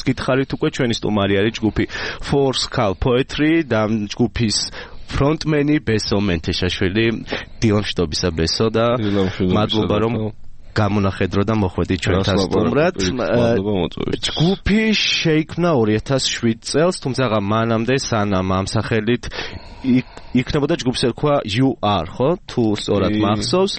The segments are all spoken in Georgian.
გითხარით უკვე ჩვენი სტუმარი არის ჯგუფი Four Skull Poetry და ჯგუფის ფრონტმენი ბესო მენთეშაშვილი. დილამშვიდობისა ბესო და მადლობა რომ გამონახედრო და მოხვედით ჩვენთან სტუმრად. ჯგუფი შეიქმნა 2007 წელს, თუმცა მანამდე სანამ ამ სახელით იქნებოდა ჯგუფს ერქვა You Are, ხო? თუ სწორად მახსოვს.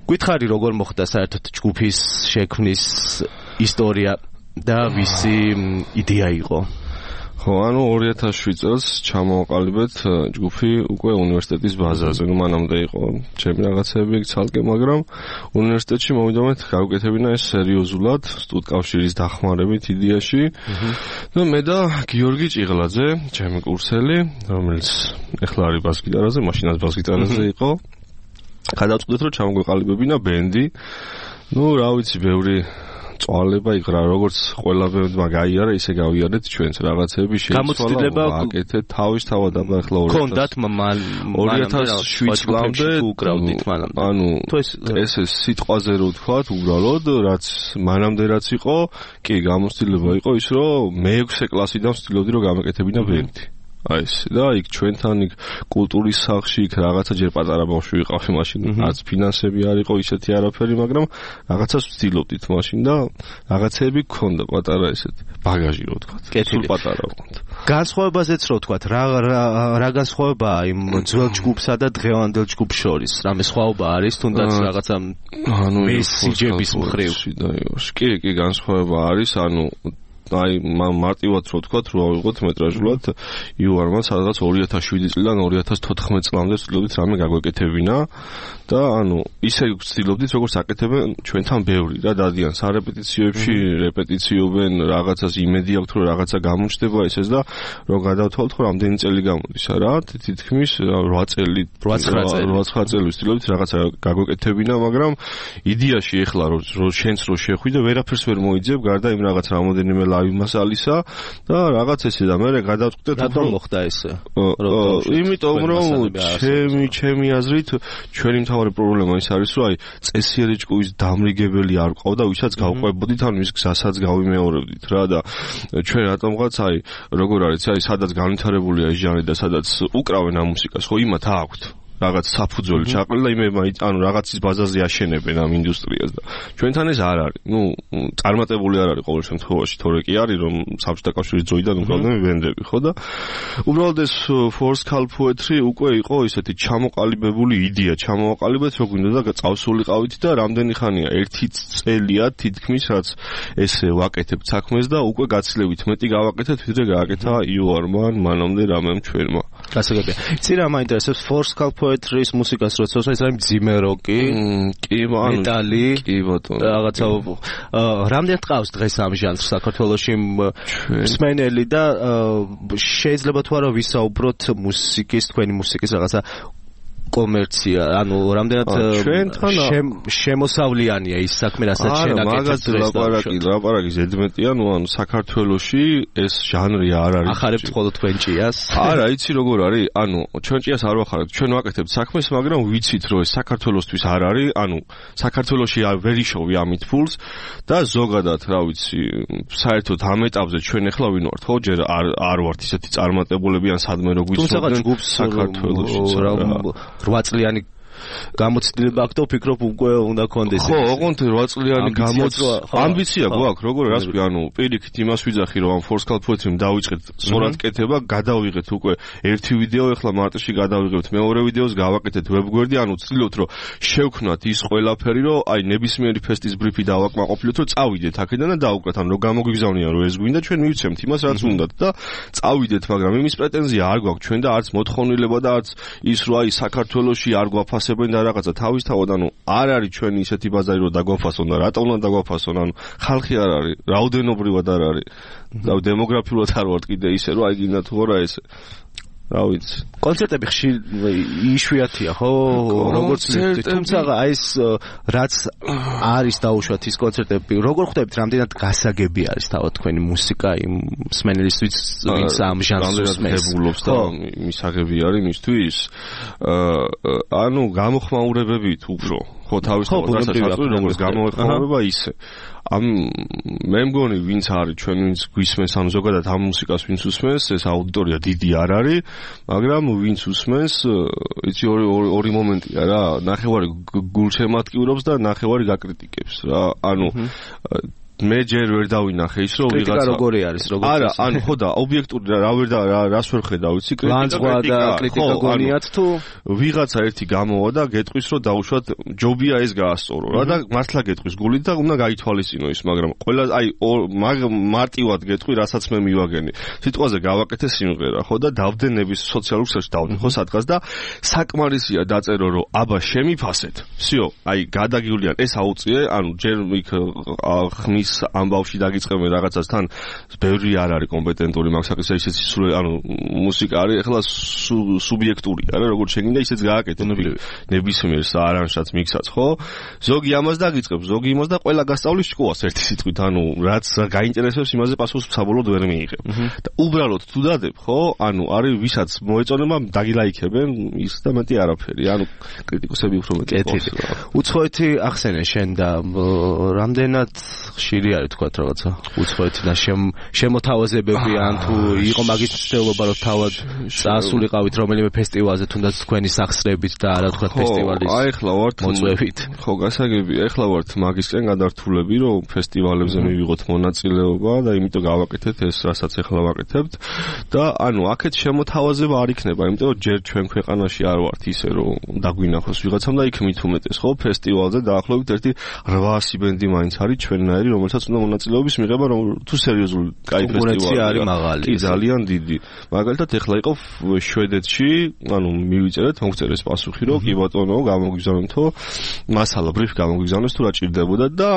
გითხარი როგორ მოხდა საერთოდ ჯგუფის შექმნის ისტორია და ვისი იდეა იყო? ხო, ანუ 2007 წელს ჩამოვაყალიბეთ ჯგუფი უკვე უნივერსიტეტის ბაზაზე. მანამდე იყო ჩემი რაღაცები ცალკე, მაგრამ უნივერსიტეტში მოვიდომეთ გავუკეთებინა ეს სერიოზულად, სტუდკავშირის დახმარებით იდეაში. და მე და გიორგი ჭიღლაძე, ჩემი კურსელი, რომელიც ეხლა არის ბას-გიტარაზე, მაშინაც ბას-გიტარაზე იყო. გადავწყვიტეთ, რომ ჩამოვაყალიბებინა ბენდი. რა ვიცი, ბევრი წვალება იქრა, როგორც ყველა ბენდმა გაიარა, ისე გავიარეთ ჩვენც რაღაცები გამოცდილება აკეთეთ თავისთავად აბა ახლა 2007 წლამდე უკრავდით მანამდე. ანუ ეს სიტყვაზე რო ვთქვათ, უბრალოდ რაც მანამდე რაც იყო, კი გამოცდილება იყო ის, რომ მე-6 კლასიდან ვცდილობდი რომ გამეკეთებინა ბენდი. აი ეს და იქ ჩვენთან იქ კულტურის სახლში იქ რაღაცა ჯერ პატარა ბავშვი ვიყავი მაშინ, რაც ფინანსები არ იყო ისეთი არაფერი, მაგრამ რაღაცას ვცდილობდით მაშინ და რაღაცები გქონდა პატარა ესეთ ბაგაჟი რო ვთქვათ. სულ პატარა ვიყავთ. განსხვავებაზეც რო ვთქვათ, რა განსხვავებაა იმ ძველ ჯგუფსა და დღევანდელ ჯგუფს შორის? რამე სხვაობა არის თუნდაც რაღაცა მესიჯების მხრივ? კი, განსხვავება არის, აი მარტივად რო ვთქვათ, რო ავიღოთ მეტრაჟულად იუარმა სადღაც 2007 წლიდან 2014 წლამდე ვცდილობდით რამე გაგვეკეთებინა და ისე ვცდილობდით როგორც აკეთებენ ჩვენთან ბევრი რა დადიან სარეპეტიციოებში, რეპეტიციობენ, რაღაცას იმედი აქვთ რომ რაღაცა გამოჩნდება ესეც და რომ გადავთვალოთ რომ რამდენი წელი გამოდის რა, თითქმის 8 წელი 8-9 წელი ვცდილობდით რაღაცა გაგვეკეთებინა, მაგრამ იდეაში ეხლა რომ შენც რო შეხვიდე ვერაფერს ვერ მოიძებ გარდა იმ რაღაც რამოდენიმე ლავი მასალისა და რაღაც ესე და მე გადავწყვიტეთ რატომ მოხდა ესე? იმიტომ რომ ჩემი აზრით ჩვენი მთავარი პრობლემა ის არის რომ წესიერი ჭკუის დამრიგებელი არ ყავდა, ვისაც გავყვებოდით ან მის გზასაც გავიმეორებდით რა და ჩვენ რატომღაც როგორ არის სადაც განვითარებულია ეს ჟანრი და სადაც უკრავენ ამ მუსიკას, ხო იმათ აქვთ რაღაც საფუძველი ჩაყრილი და იმება რაღაცის ბაზაზე აშენებენ ამ ინდუსტრიას და ჩვენთან ეს არ არის. წარმატებული არ არის ყოველ შემთხვევაში, თორე კი არის რომ საბჭოთა კავშირის დროიდან უკრავდნენ ბენდები, ხო და უბრალოდ ეს Four Skull Poetry უკვე იყო ისეთი ჩამოყალიბებული იდეა, ჩამოვაყალიბეთ რო გვინდოდა წავსულიყავით და რამდენი ხანია 1 წელია თითქმის რაც ესე ვაკეთებ საქმეს და უკვე გაცილებით მეტი გავაკეთეთ ვიდრე გააკეთა იუარმა მანამდე რამემ ჩვენმა. გასაგებია. იცი რა მაინტერესებს Four Skull Poetry-ის მუსიკას როცა ეს არის მძიმე როკი, მეტალი, კი ბატონო. რაღაცა რამდენად ყავს დღეს ამ ჟანრს საქართველოში მსმენელი და შეიძლება თუ არა ვისაუბროთ თქვენი მუსიკის რაღაცა კომერცია, რამდენად შემოსავლიანია ის საქმე, რასაც შენ აკეთებ დღეს და ლაპარაკი ზედმეტია, საქართველოში ეს ჟანრი არ არის. ახარებთ მხოლოდ თქვენ ჭიას? არა, იცი როგორ არის? ჩვენ ჭიას არ ვახარებთ, ჩვენ ვაკეთებთ საქმეს, მაგრამ ვიცით რომ ეს საქართველოსთვის არ არის, საქართველოში ვერ იშოვი ამით ფულს და ზოგადად, რა ვიცი, საერთოდ ამ ეტაპზე ჩვენ ახლა ვინ ვართ, ხო, ჯერ არ ვართ ისეთი წარმატებულები ან სადმე რო გვიცნობენ საქართველოში. 8 წლიანი გამოცდილება აქვს და ვფიქრობ უკვე უნდა კონდეს. ხო, ოღონდ 8 წლიანი ამბიცია გვაქვს, როგორ რას ვი, პირიქით იმას ვიძახი რომ ამ Four Skull Poetry-მ დავიწყეთ სწორად კეთება, გადავიღეთ უკვე ერთი ვიდეო, ახლა მარტში გადავიღებთ მეორე ვიდეოს, გავაკეთეთ ვებგვერდი, ვცდილობთ რომ შევქნათ ის ყველაფერი, რომ ნებისმიერი ფესტის ბრიფი დავაკმაყოფილოთ, რომ წავიდეთ აქედან და დაუკვეთ, რომ გამოგვიგზავნიან რომ ეს გვინდა, ჩვენ მივცემთ იმას რაც უნდათ და წავიდეთ, მაგრამ იმის პრეტენზია არ გვაქვს ჩვენ და არც მოთხოვნილება და არც ის რომ საქართველოში არ გვაფასებენ და რაღაცა თავისთავად არ არის ჩვენი ისეთი ბაზარი რომ დაგვაფასონ და რატომ უნდა დაგვაფასონ, ხალხი არ არის, რაოდენობრივად არ არის და დემოგრაფიულად არ ვართ კიდე ისე რომ გინდა თუ არა ესე რა ვიცი. კონცერტები იშვიათია, ხო? როგორც თუმცა ეს რაც არის დაუშვათ ის კონცერტები, როგორ ხვდებით, რამდენად გასაგები არის თავად თქვენი მუსიკა იმ მსმენელისთვის, ვინც ამ ჟანრს მსმენელობს და მისაღები არის მისთვის. გამოხმაურებებით უფრო ხო თავისთავად გასაჩართული როგორც გამოეხმაურება ისე მე მგონი ვინც არის ჩვენ ვინც გვისმენს ანუ ზოგადად ამ მუსიკას ვინც უსმენს ეს აუდიტორია დიდი არ არის მაგრამ ვინც უსმენს იცი ორი მომენტია რა ნახევარი გულშემატკივრობს და ნახევარი გაკრიტიკებს რა ანუ მე ჯერ ვერ დავინახე ის რომ ვიღაცა როგორი არის როგორ არა ანუ ხო და ობიექტური რას ვერ ხედავ იცი კრიტიკა გონიათ თუ ვიღაცა ერთი გამოვა და გეტყვის რომ დაუშვათ ჯობია ეს გაასწორო რა და მართლა გეტყვის გულით და უნდა გაითვალისწინო ის მაგრამ ყველა აი მარტივად გეტყვი რასაც მე მივაგენი სიტყვაზე გავაკეთე სიმღერა ხო და დავდენების სოციალურ ქსელში დავდენ ხო სადღაც და საკმარისია დაწერო რომ აბა შემიფასეთ всё აი გადაგივლიან ეს აუწიე ანუ ჯერ იქ ხმის ამ ბავში დაგიწყებენ რაღაცას თან ბევრი არ არის კომპეტენტური მაგ საკითხზე ისეც სულ ანუ მუსიკა არის ეხლა სუბიექტურია რა როგორც შეგინდა ისეც გააკეთე ნებისმიერს არანჟსაც მიქსაც ხო ზოგი ამას დაგიწყებს ზოგი იმას და ყველა გასწავლის ჭკუას ერთი სიტყვით ანუ რაც გაინტერესებს იმაზე პასუხს საბოლოოდ ვერ მიიღებ და უბრალოდ თუ დადებ ხო ანუ არის ვისაც მოეწონება დაგილაიქებენ ის და მეტი არაფერი ანუ კრიტიკოსები უფრო მეტი უცხოეთი ახსენე შენ და რამდენად ხშირი არის თქვა რაღაცა უცხოეთი და შემოთავაზებები ან თუ იყო მაგის ცდილობა რომ თავად წასულიყავით რომელიმე ფესტივალზე თუნდაც თქვენი სახსრებით და არა თქვა ფესტივალის აი ახლა ვართ მოწვევით ხო გასაგებია ახლა ვართ მაგისკენ გადართულები რომ ფესტივალებზე მივიღოთ მონაწილეობა და იმიტომ გავაკეთეთ ეს რასაც ახლა ვაკეთებთ და ანუ აქეთ შემოთავაზება არ იქნება იმიტომ რომ ჯერ ჩვენ ქვეყანაში არ ვართ ისე რომ დაგვინახოს ვიღაცამ და იქ მით უმეტეს ხო ფესტივალზე დაახლოებით ერთი 800 ბენდი მაინც არის ჩვენნაირი რომელსაც უნდა მონაწილეობის მიღება რომ თუ სერიოზული კაი ფესტივალი არის მაღალი კი ძალიან დიდი მაგალითად ეხლა იყო შვედეთში ანუ მივიწერეთ მოგწერეს პასუხი რომ კი ბატონო გამოგიგზავნეთო მასალა ბრიფ გამოგიგზავნეს თუ რა ჭირდებოდა და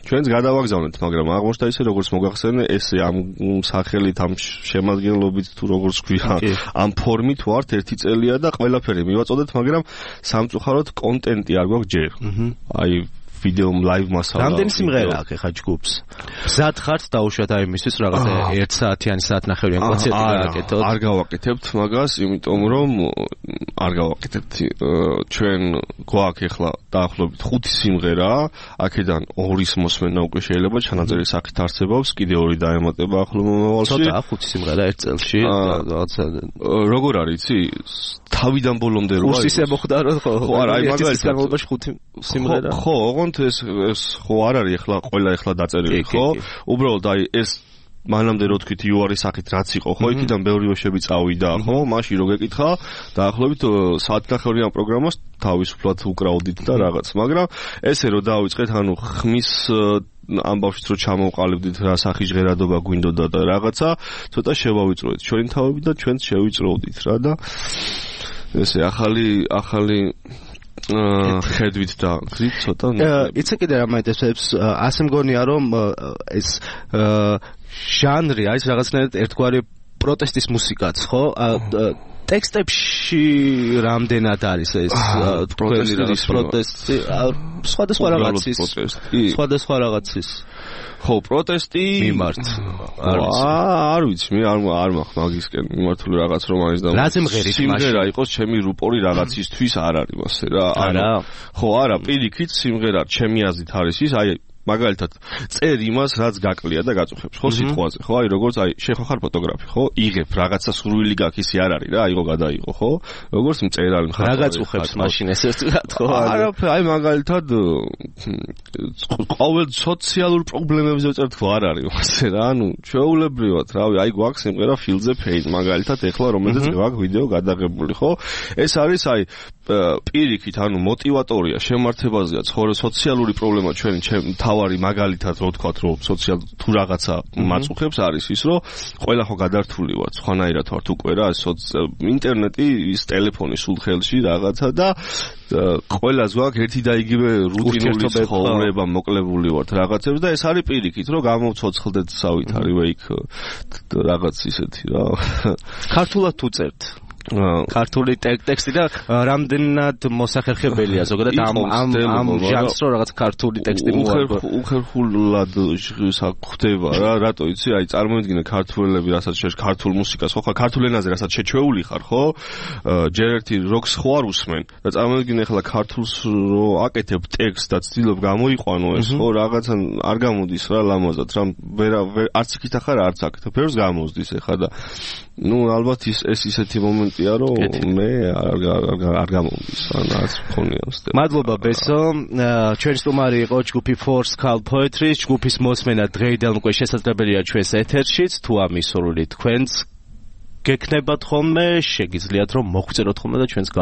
ჩვენც გადავაგზავნეთ მაგრამ აღმოჩნდა ისე როგორც მოგახსენე ესე ამ სახელით ამ შემადგენლობით თუ როგორც ქვია ამ ფორმით ვართ ერთი წელია და ყველაფერი მივაწოდეთ მაგრამ სამწუხაროდ კონტენტი არ გვაქვს ჯერ აი ვიდეო ლაივ მასალა. რამდენი სიმღერა აქვს ხა ჯგუფს? მზად ხართ დაუშვათ აი მისთვის რაღაცა 1 საათიანი საათნახევრიანი კონცერტი გააკეთოთ? არ გავაკეთებთ მაგას, იმიტომ რომ არ გავაკეთებთ. ჩვენ გვაქვს ახლა დაახლოებით 5 სიმღერა, აქედან 2-ის მოსმენა უკვე შეიძლება ჩანაწერის სახით არსებობს, კიდე 2 დაემატება ახლო მომავალში. ცოტა 5 სიმღერა ერთ წელში რაღაცა როგორ არის, იცი? თავიდან ბოლომდე რა ის ემოხდა რომ ხო არა აი მაგალითად განმავლობაში 5 სიმღერა ხო ოღონდ ეს ხო არ არის ახლა ყველა ახლა დაწერილი ხო უბრალოდ აი ეს მანამდე რო თქვით იუარის სახით რაც იყო ხო იქიდან ბევრი ვეშები წავიდა ხო მაშინ რო გეკითხა დაახლოებით საათნახევრიან პროგრამას თავისუფლად უკრავდით და რაღაც მაგრამ ესე რო დავიწყეთ ანუ ხმის ამბავშიც რო ჩამოვყალიბდით რა სახის ჟღერადობა გვინდოდა და რაღაცა ცოტა შევავიწროეთ ჩვენი თავები და ჩვენც შევიწროვდით რა და ესე ახალი ხედვით და გზით ცოტა იცი კიდე რა მაინტერესებს ასე მგონია რომ ეს ჟანრი არის რაღაცნაირად ერთგვარი პროტესტის მუსიკაც ხო ტექსტებში რამდენად არის ეს პროტესტი სხვადასხვა რაღაცის ხო პროტესტი მიმართ არ ვიცი მე არ მაქვს მაგისკენ მიმართული რაღაც რომ არის და სიმღერა იყოს ჩემი რუპორი რაღაცისთვის არ არის მასე რა არა ხო არა პირიქით სიმღერა ჩემი აზრით არის ის აი მაგალითად წერ იმას რაც გაკლია და გაწუხებს ხო სიტყვაზე ხო აი როგორც აი შენ ხარ ფოტოგრაფი ხო იღებ რაღაცა სურვილი გაქვს ისე არ არის რა აიღო გადაიღო ხო როგორც მწერალი ხარ რა გაწუხებს მაშინ ეს ერთად ხო არა აი მაგალითად ყოველ სოციალურ პრობლემებზე ვწერთ ხო არ არის მასე რა ანუ ჩვეულებრივად რავი აი გვაქვს სიმღერა Feel the Pain მაგალითად ეხლა რომელზეც გვაქვს ვიდეო გადაღებული ხო ეს არის აი პირიქით ანუ мотиваტორია შემართებაზეა სოციალური პრობლემა ჩვენი თავარი მაგალითად რო ვთქვათ რომ სოციალ თუ რაღაცა მაწუხებს არის ის რომ ყველა ხო გადართული ვარ სხვანაირად ვართ უკვე რა ინტერნეტი ის ტელეფონი სულ ხელში რაღაცა და ყველას გვაქვს ერთი და იგივე რუტინული ცხოვრება მოკლებული ვართ რაღაცებს და ეს არის პირიქით რომ გამოვცოცხლდეთ სავითარივე იქ რაღაც ისეთი რა ქართულად თუ წერთ ქართული ტექსტი და რამდენად მოსახერხებელია ზოგადად ამ ჟანრს რო რაღაც ქართული ტექსტი მოაქვს უხერხულად ხდება რა რატო იცი აი წარმოიდგინე ქართველები რასაც შეშ ქართულ მუსიკას ხო ქართულ ენაზე რასაც შეჩვეული ხარ ხო ჯერ ერთი როკს ხო არ უსმენ და წარმოიდგინე ახლა ქართულს რო აკეთებ ტექსტს და ცდილობ გამოიყვანო ეს ხო რაღაცა არ გამოდის რა ლამაზად რა არც იქით ახარ არც აქ ფერს გამოსდის ახლა და ну ალბათ ეს ისეთი მომენტია რომ მე არ გამომდის რაც მქონია მსტე მადლობა ბესო ჩვენი სტუმარი იყო ჯგუფი Force Call Poetry ჯგუფის მოსმენა დღეიდან უკვე შესაძლებელია ჩვენს ეთერშიც თუ ამის სურვილი თქვენს გექნებათ ხოლმე შეგიძლიათ რომ მოგვწეროთ ხოლმე და ჩვენს